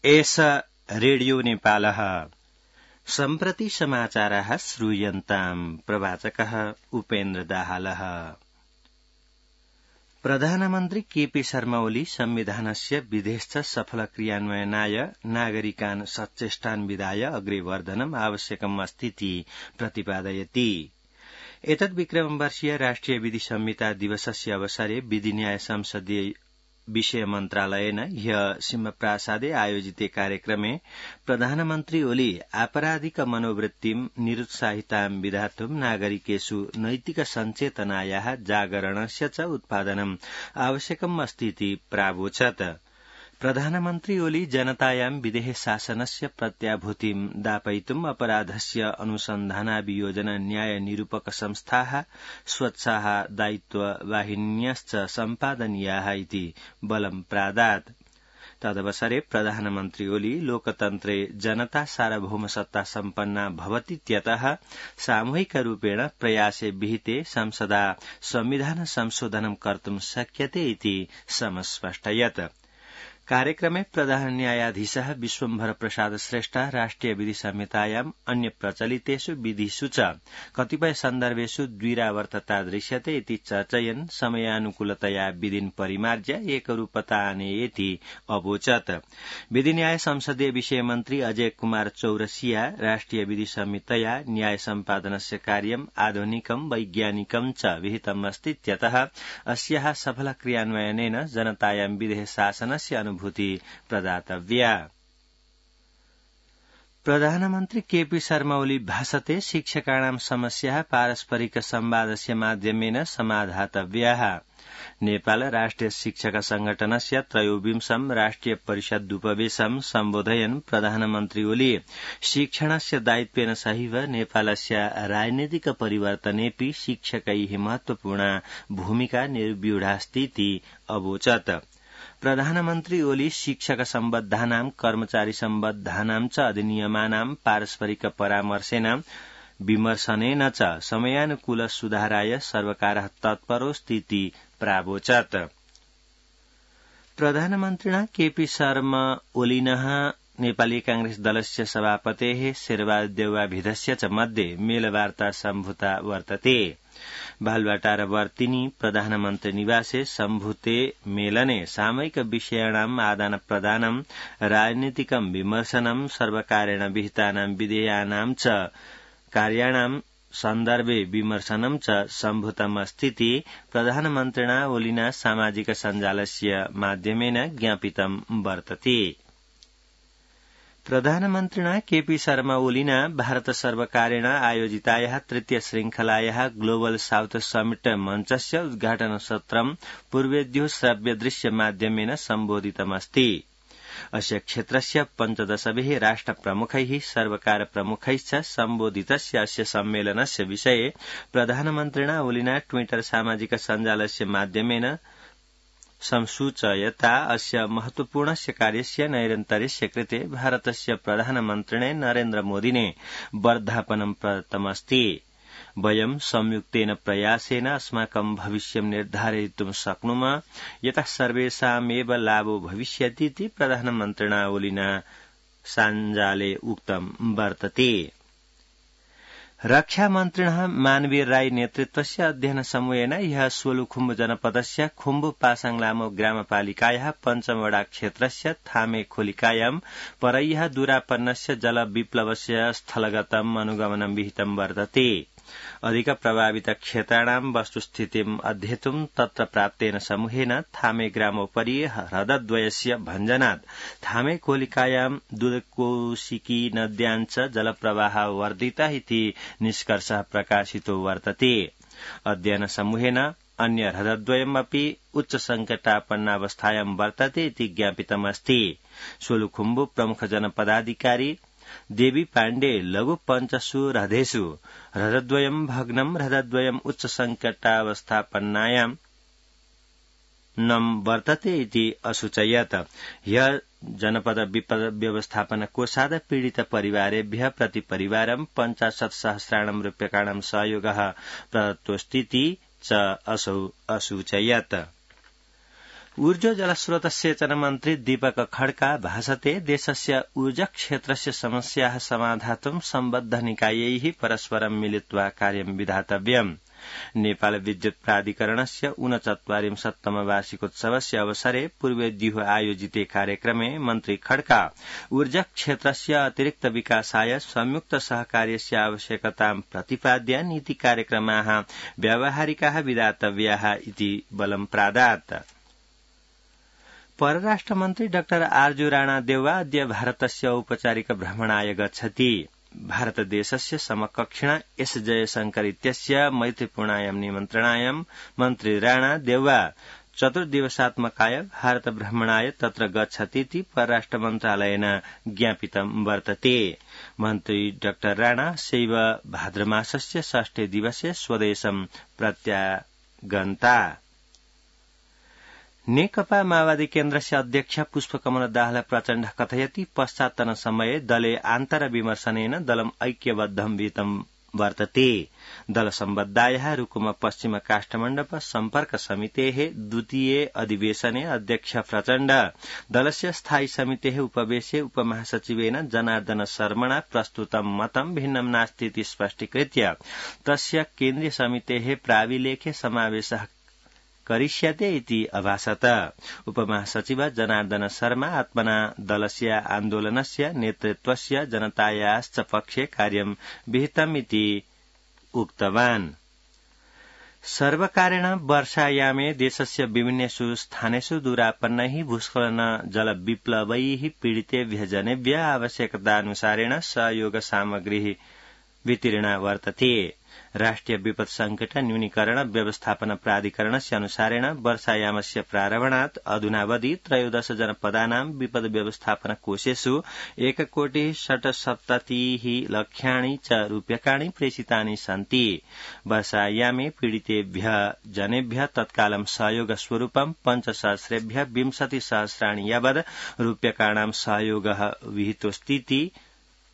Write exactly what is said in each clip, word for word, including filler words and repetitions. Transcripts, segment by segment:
एष रेडियो नेपालः सम्प्रति समाचाराः श्रूयन्ताम् प्रवाचकः उपेन्द्र दाहालः। प्रधानमन्त्री केपी शर्मा ओली संविधानस्य विधेश्च सफल क्रियान्वयनाय नागरिकान् सचेष्टान् विधाय अग्रे वर्धनम् आवश्यकम् अस्तीति प्रतिपादयति। एतद् विक्रमवर्षीय राष्ट्रिय विधि संहिता दिवसस्य अवसरे विधि न्याय संसदीय विषय मन्त्रालयेन ह्य सिंहप्रासादे आयोजिते कार्यक्रमे प्रधानमन्त्री ओली आपराधिक मनोवृत्तिं निरुत्साहितां विधातुं नागरिकेषु नैतिक सञ्चेतनायाः जागरणस्य च उत्पादनम् आवश्यकम् अस्तीति प्रावोचत्। प्रधानमन्त्री ओली जनतायां विदेह शासनस्य प्रत्याभूतिं दापयितुम् अपराधस्य अनुसन्धानाभियोजन न्याय निरूपक संस्थाः स्वच्छाः दायित्ववाहिन्यश्च सम्पादनीयाः इति बलं प्रादात्। तदवसरे प्रधानमन्त्री ओली लोकतन्त्रे जनता सार्वभौमसत्ता सम्पन्ना भवतीत्यतः सामूहिकरूपेण प्रयासे विहिते संसदा संविधान संशोधनं कर्तुं शक्यते इति समस्पष्टयत्। कार्यक्रमे प्रधान न्यायाधीशः विश्वम्भर प्रसाद श्रेष्ठ राष्ट्रिय विधि संहितायाम् अन्य प्रचलितेषु विधिषु च कतिपय सन्दर्भेषु द्विरावर्तता दृश्यते इति चर्चयन् समयानुकूलतया विधिन् परिमार्ज्य एकरूपता आनेयेति अवोचत्। विधि न्याय संसदीय विषय मन्त्री अजय कुमार चौरसिया राष्ट्रिय विधि संहितया न्याय सम्पादनस्य कार्यम् आधुनिकं वैज्ञानिकं च विहितमस्तीत्यतः अस्याः सफल क्रियान्वयनेन जनतायां विधेः शासनस्य भूति प्रदातव्या। प्रधानमन्त्री केपी शर्मा ओली भाषते शिक्षकाणां समस्याः पारस्परिक संवादस्य माध्यमेन समाधातव्याः। नेपाल राष्ट्रिय शिक्षक संगठनस्य त्रयोविंशं राष्ट्रिय परिषदुपवेशं सम्बोधयन् प्रधानमन्त्री ओली शिक्षणस्य दायित्वेन सहैव नेपालस्य राजनीतिक परिवर्तनेऽपि शिक्षकैः महत्वपूर्णा भूमिका निर्व्यूढास्तीति अवोचत्। प्रधानमन्त्री ओली शिक्षक सम्बद्धानां कर्मचारी सम्बद्धानां च अधिनियमानां पारस्परिक परामर्शेन विमर्शनेन च समयानुकूल सुधाराय सर्वकारः तत्परोऽस्तीति प्रावोचत्। प्रधानमन्त्रिणा केपी शर्मा ओलिनः नेपाली कांग्रेस दलस्य सभापतेः शेरबहादुर देउवाभिधस्य च मध्ये मेलवार्ता सम्भूता वर्तते। बालुवाटार वर्तिनी प्रधानमन्त्री निवासे सम्भूते मेलने सामयिक विषयाणाम् आदान प्रदानं राजनीतिकं विमर्शनं सर्वकारेण विहितानां विधेयानां च कार्याणां सन्दर्भे विमर्शनं च सम्भूतमस्तीति प्रधानमन्त्रिणा ओलिना सामाजिक सञ्जालस्य माध्यमेन ज्ञापितं वर्तते। प्रधानमन्त्रिणा केपी शर्मा ओलिना भारत सर्वकारेण आयोजितायाः तृतीय श्रृंखलायाः ग्लोबल साउथ समिट मञ्चस्य उद्घाटन सत्रं पूर्वेद्यो श्रव्य दृश्य माध्यमेन सम्बोधितमस्ति। अस्य क्षेत्रस्य पञ्चदशभिः राष्ट्र प्रमुखैः सर्वकार प्रमुखैश्च सम्बोधितस्य अस्य सम्मेलनस्य विषये प्रधानमन्त्रिणा ओलिना ट्विटर सामाजिक सञ्जालस्य माध्यमेन संसूचयता अस्य महत्वपूर्णस्य कार्यस्य नैरन्तर्यस्य कृते भारतस्य प्रधानमन्त्रिणे नरेन्द्र मोदिने वर्धापनं प्रदत्तमस्ति। वयं संयुक्तेन प्रयासेन अस्माकं भविष्यं निर्धारयितुं शक्नुमः यतः सर्वेषामेव लाभो भविष्यतीति प्रधानमन्त्रिणा ओलिना सञ्जाले उक्तं वर्तते। रक्षामन्त्रिणः मानवीर राई नेतृत्वस्य अध्ययन समूहेन ह्यः सोलुखुम्बु जनपदस्य खुम्बु पासाङलामो ग्रामपालिकायाः पञ्चमवडा क्षेत्रस्य थामे खोलिकायां परह्यः दूरापन्नस्य जलविप्लवस्य स्थलगतम् अनुगमनं विहितं वर्तते। अधिक प्रभावित क्षेत्राणां वस्तुस्थितिम् अध्येतुं तत्र प्राप्तेन समूहेन थामे ग्रामोपरि ह्रदद्वयस्य भञ्जनात् थामे खोलिकायां दुधकोशिकी नद्यां च जलप्रवाह वर्धितः इति निष्कर्षः प्रकाशितो वर्तते। अध्ययन समूहेन अन्य ह्रदद्वयमपि उच्च संकटापन्नावस्थायां वर्तते इति ज्ञापितमस्ति। सोलुखुम्बु प्रमुख जनपदाधिकारी देवी पाण्डे लघु पञ्चसु ह्रदेषु ह्रदद्वयं भग्नं ह्रदद्वयम् उच्च संकटावस्थापन्नायां नम वर्तते इति असूचयत्। ह्यः जनपद विपद व्यवस्थापन कोषाद पीडित परिवारेभ्यः प्रति परिवारं पञ्चाशत् सहस्राणां रूप्यकाणां सहयोगः प्रदत्तोऽस्तीति च असौ असूचयत्। ऊर्जो जलस्रोत सेचन मन्त्री दीपक खड्का भाषते देशस्य ऊर्जाक्षेत्रस्य समस्याः समाधातुं सम्बद्ध निकायैः परस्परं मिलित्वा कार्यं विधातव्यम्। नेपाल विद्युत प्राधिकरणस्य ऊनचत्वारिंशत्तम वार्षिकोत्सवस्य अवसरे पूर्वेद्युः आयोजिते कार्यक्रमे मन्त्री खड्का ऊर्जा क्षेत्रस्य अतिरिक्त विकासाय संयुक्त सहकार्यस्य आवश्यकतां प्रतिपाद्य नीति कार्यक्रमाः व्यावहारिकाः विधातव्याः इति बलं प्रादात्। परराष्ट्रमन्त्री डाक्टर आर्जु राणा देउवा अद्य भारतस्य औपचारिक भ्रमणाय गच्छति। भारतदेशस्य समकक्षिणा एस जयशंकर इत्यस्य मैत्रीपूर्णायां निमन्त्रणायां मन्त्री राणा देउवा चतुर्दिवसात्मकाय भारत भ्रमणाय तत्र गच्छतीति परराष्ट्र मन्त्रालयेन ज्ञापितं वर्तते। मन्त्री डाक्टर राणा सैव भाद्रमासस्य षष्ठे दिवसे स्वदेशं प्रत्यागन्ता। नेकपा माओवादी केन्द्रस्य अध्यक्ष पुष्पकमल दाहाल प्रचण्ड कथयति पश्चात्तन समये दले आन्तरविमर्शनेन दलम् ऐक्यबद्धं विहितं वर्तते। दल सम्बद्धायाः रुकुम पश्चिम काष्ठमण्डप सम्पर्क समितेः द्वितीये अधिवेशने अध्यक्ष प्रचण्ड दलस्य स्थायी समितेः उपवेशे उपमहासचिवेन जनार्दन शर्मणा प्रस्तुतं मतं भिन्नं नास्ति इति स्पष्टीकृत्य तस्य केन्द्रीय समितेः प्राविलेखे समावेशः करिष्यते इति अभाषत। उपमहासचिव जनार्दन शर्मा आत्मना दलस्य आन्दोलनस्य नेतृत्वस्य जनतायाश्च पक्षे कार्यं विहितम् इति उक्तवान्। सर्वकारेण वर्षायामे देशस्य विभिन्नेषु स्थानेषु दूरापन्नैः भूस्खलन जलविप्लवैः पीडितेभ्यः जनेभ्यः आवश्यकतानुसारेण सहयोग सामग्री वितरणा वर्तते। राष्ट्रिय विपत् संकट न्यूनीकरण व्यवस्थापन प्राधिकरणस्य अनुसारेण वर्षायामस्य प्रारम्भात् अधुनावधि त्रयोदश जनपदानां विपद व्यवस्थापन कोषेषु एककोटिः षट्सप्ततिः लक्षाणि च रूप्यकाणि प्रेषितानि सन्ति। वर्षायामे पीडितेभ्यः जनेभ्यः तत्कालं सहयोग स्वरूपं पञ्चसहस्रेभ्यः विंशति सहस्राणि यावद् रूप्यकाणां सहयोगः विहितोऽस्तीति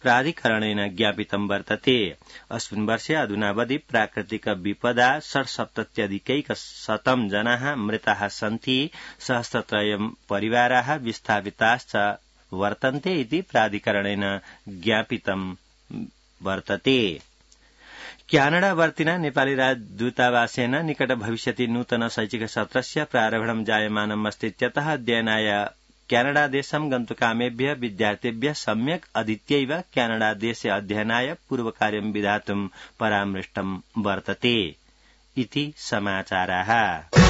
प्राधिकरणेन ज्ञापितं वर्तते। अस्मिन् वर्षे अधुनावधि प्राकृतिक विपदा षट्सप्तत्यधिकैकशतं जनाः मृताः सन्ति। सहस्रत्रयं परिवाराः विस्थापिताश्च वर्तन्ते इति प्राधिकरणेन ज्ञापितं वर्तते। क्यानाडावर्तिना नेपाली राजदूतावासेन निकट भविष्यति नूतन शैक्षिक सत्रस्य प्रारम्भं जायमानम् अस्ति इत्यतः अध्ययनाय क्यानाडादेशं गन्तुकामेभ्यः विद्यार्थिभ्यः सम्यक् अधीत्यैव क्यानाडादेशे अध्ययनाय पूर्वकार्यं विधातुं परामृष्टं वर्तते इति समाचाराः।